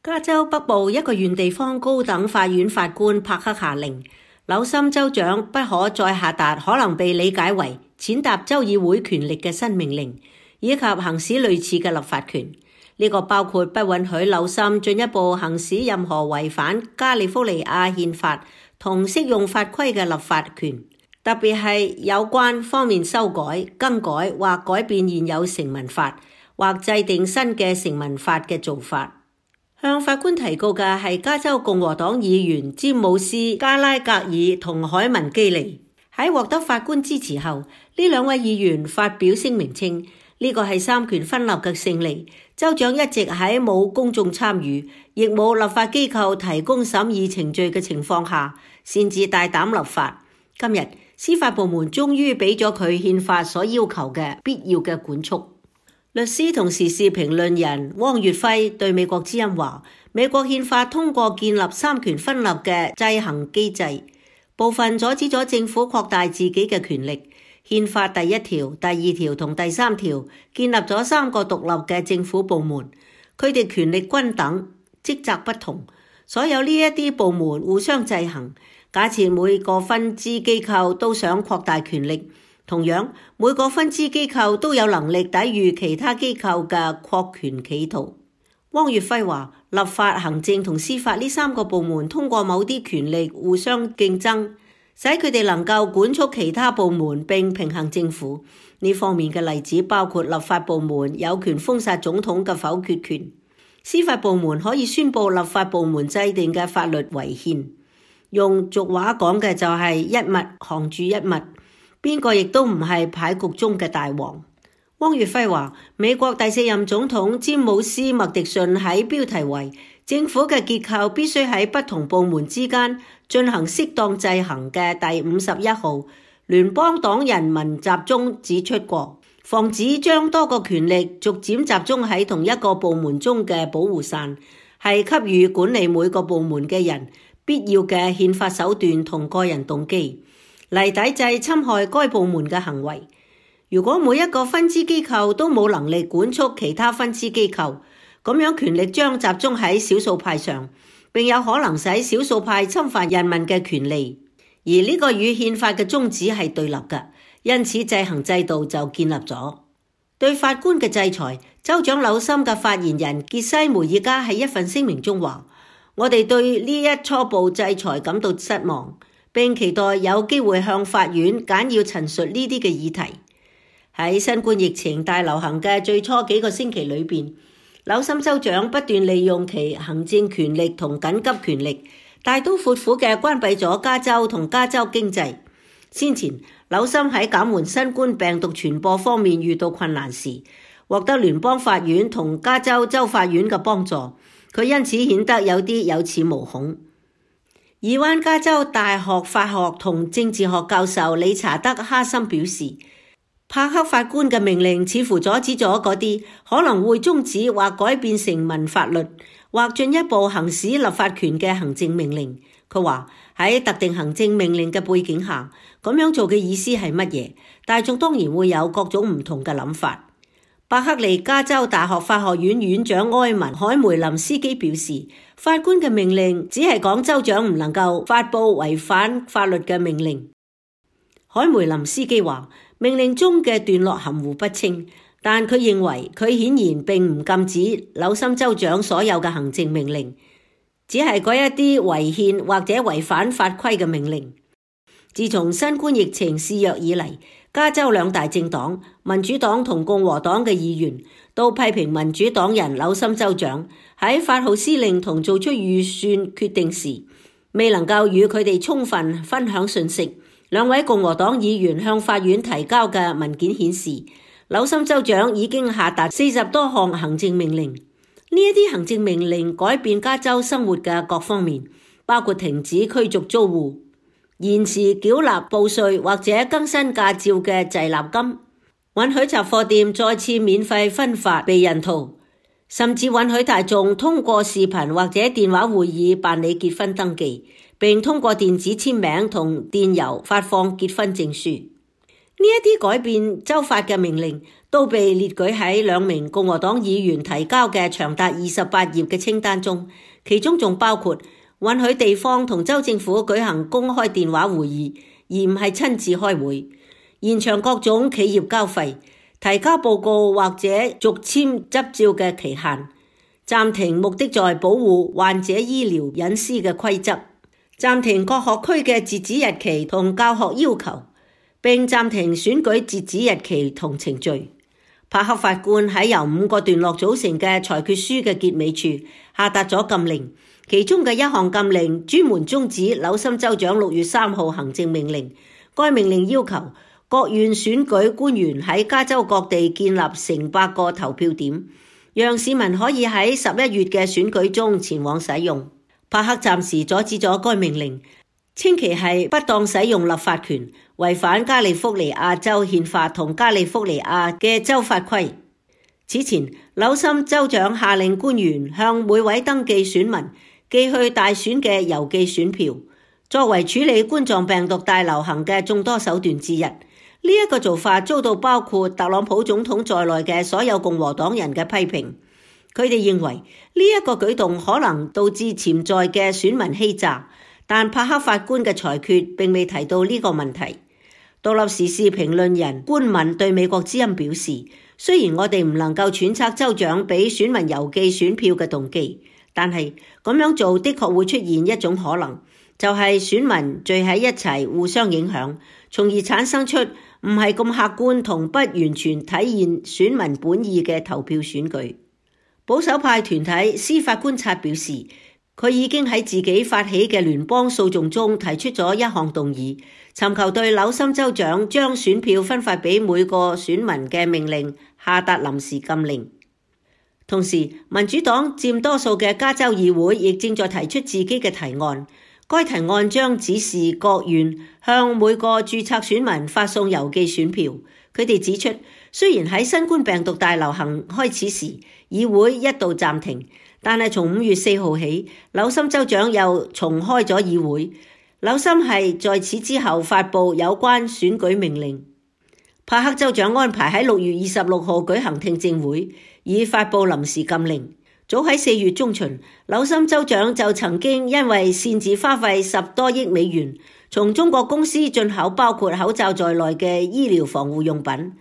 加州北部一個縣地方高等法院法官帕克下令，紐森州長不可再下達可能被理解為踐踏州議會權力嘅新命令，以及行使類似嘅立法權。呢個包括不允許紐森進一步行使任何違反加利福尼亞憲法同適用法規嘅立法權，特別係有關方面修改、更改或改變現有成文法，或制定新嘅成文法嘅做法。向法官提告嘅係加州共和黨議員詹姆斯加拉格爾同海文基利。喺獲得法官支持後，呢兩位議員發表聲明稱，呢個係三權分立嘅勝利。州長一直喺冇公眾參與，亦冇立法機構提供審議程序嘅情況下，擅自大膽立法。今日司法部門終於俾咗佢憲法所要求嘅必要嘅管束。律師同時事評論人汪月輝對美國之音話，美國憲法通過建立三權分立嘅制衡機制，部分阻止咗政府擴大自己嘅權力。憲法第1條、第2條同第3條建立咗3個獨立嘅政府部門，佢哋權力均等，職責不同，所有呢一啲部門互相制衡。假設每個分支機構都想擴大權力，同樣每個分支機構都有能力抵禦其他機構嘅擴權企圖。汪月輝話，立法、行政同司法呢3個部門通過某啲權力互相競爭，使佢哋能夠管束其他部門並平衡政府。呢方面嘅例子包括立法部門有權封殺總統嘅否決權，司法部門可以宣布立法部門制定嘅法律違憲。用俗話講嘅就係一物降住一物，邊個亦都唔係牌局中嘅大王。汪月輝話，美國第4任總統詹姆斯麥迪遜喺標題為政府嘅結構必須喺不同部門之間進行適當制衡嘅第51號聯邦黨人民集中指出過，防止將多個權力逐漸集中喺同一個部門中嘅保護傘，係給予管理每個部門嘅人必要嘅憲法手段同個人動機，嚟抵制侵害該部門嘅行為。如果每一個分支機構都冇能力管束其他分支機構，咁樣權力將集中喺少數派上，並有可能使少數派侵犯人民嘅權利。而呢個與憲法嘅宗旨係對立嘅，因此制衡制度就建立咗。對法官嘅制裁，州長紐森嘅發言人傑西梅爾加喺一份聲明中話，我哋對呢一初步制裁感到失望，並期待有機會向法院簡要陳述呢啲嘅議題。喺新冠疫情大流行嘅最初幾個星期裏邊，紐森州長不斷利用其行政權力同緊急權力，大刀闊斧嘅關閉咗加州同加州經濟。先前紐森喺減緩新冠病毒傳播方面遇到困難時，獲得聯邦法院同加州州法院嘅幫助，佢因此顯得有啲有恃無恐。爾灣加州大學法學同政治學教授理查德·哈森表示，帕克法官嘅命令似乎阻止咗嗰啲可能會終止或改變成文法律或進一步行使立法權嘅行政命令。佢話喺特定行政命令嘅背景下，咁樣做嘅意思係乜嘢？大眾當然會有各種唔同嘅諗法。伯克利加州大學法學院院長埃文·海梅林斯基表示，法官嘅命令只係講州長唔能夠發布違反法律嘅命令。海梅林斯基話，命令中嘅段落含糊不清，但佢認為佢顯然並唔禁止紐森州長所有嘅行政命令，只係嗰一啲違憲或者違反法規嘅命令。自從新冠疫情肆虐以嚟，加州兩大政黨民主黨同共和黨嘅議員都批評民主黨人紐森州長喺發號施令同做出預算決定時，未能夠與佢哋充分分享信息。兩位共和黨議員向法院提交嘅文件顯示，紐森州長已經下達40多項行政命令。呢一啲行政命令改變加州生活嘅各方面，包括停止驅逐租戶、延遲繳納報稅或者更新駕照嘅滯納金，允許雜貨店再次免費分發避孕套，甚至允許大眾通過視頻或者電話會議辦理結婚登記，並通過電子簽名同電郵發放結婚證書。呢一啲改變州法嘅命令都被列舉喺2名共和黨議員提交嘅長達28頁嘅清單中，其中仲包括允許地方同州政府舉行公開電話會議，而唔係親自開會，延長各種企業交費、提交報告或者續簽執照嘅期限，暫停目的在保護患者醫療隱私嘅規則，暫停各學區嘅截止日期同教學要求，並暫停選舉截止日期同程序。帕克法官喺由5個段落組成嘅裁決書嘅結尾處下達咗禁令，其中嘅一項禁令專門終止紐森州長6月3號行政命令。該命令要求各縣選舉官員喺加州各地建立成百個投票點，讓市民可以喺11月嘅選舉中前往使用。帕克暫時阻止咗該命令，稱其係不當使用立法權，違反加利福尼亞州憲法同加利福尼亞嘅州法規。此前，紐森州長下令官員向每位登記選民寄去大選嘅郵寄選票，作為處理冠狀病毒大流行嘅眾多手段之一。呢一個做法遭到包括特朗普總統在內嘅所有共和黨人嘅批評。佢哋認為呢一個舉動可能導致潛在嘅選民欺詐，但帕克法官嘅裁決並未提到呢個問題。獨立時事評論人官敏對美國之音表示，雖然我哋唔能夠揣測州長俾選民郵寄選票嘅動機，但係咁樣做的確會出現一種可能，就係選民聚喺一齊互相影響，從而產生出唔係咁客觀同不完全體現選民本意嘅投票選舉。保守派團體司法觀察表示，佢已經喺自己發起嘅聯邦訴訟中提出咗一項動議，尋求對紐森州長將選票分發俾每個選民嘅命令下達臨時禁令。同時，民主黨佔多數嘅加州議會亦正在提出自己嘅提案，該提案將指示各縣向每個註冊選民發送郵寄選票。佢哋指出，雖然喺新冠病毒大流行開始時，議會一度暫停，但係從5月4號起，紐森州長又重開咗議會。紐森係在此之後發布有關選舉命令。帕克州長安排喺6月26號舉行聽證會，以發布臨時禁令。早喺4月中旬，紐森州長就曾經因為擅自花費10多億美元，從中國公司進口包括口罩在內嘅醫療防護用品，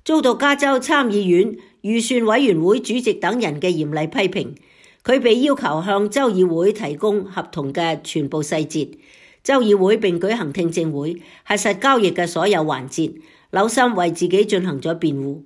遭到加州參議院預算委員會主席等人嘅嚴厲批評。佢被要求向州議會提供合同嘅全部細節。州議會並舉行聽證會，核實交易嘅所有環節。紐森為自己進行咗辯護。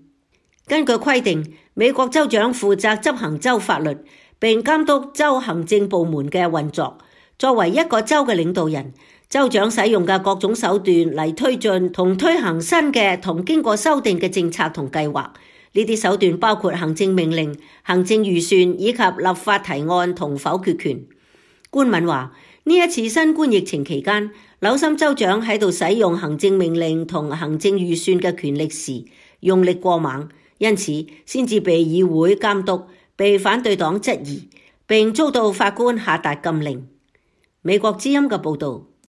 根據規定，美國州長負責執行州法律，並監督州行政部門嘅運作。作為一個州嘅領導人，州長使用嘅各種手段嚟推進同推行新嘅同經過修訂嘅政策同計劃。呢啲手段包括行政命令、行政預算以及立法提案同否決權。官敏話，呢一次新冠疫情期間，紐森州長喺度使用行政命令同行政預算嘅權力時用力過猛，因此先至被議會監督，被反對黨質疑，並遭到法官下達禁令。美國之音嘅報導。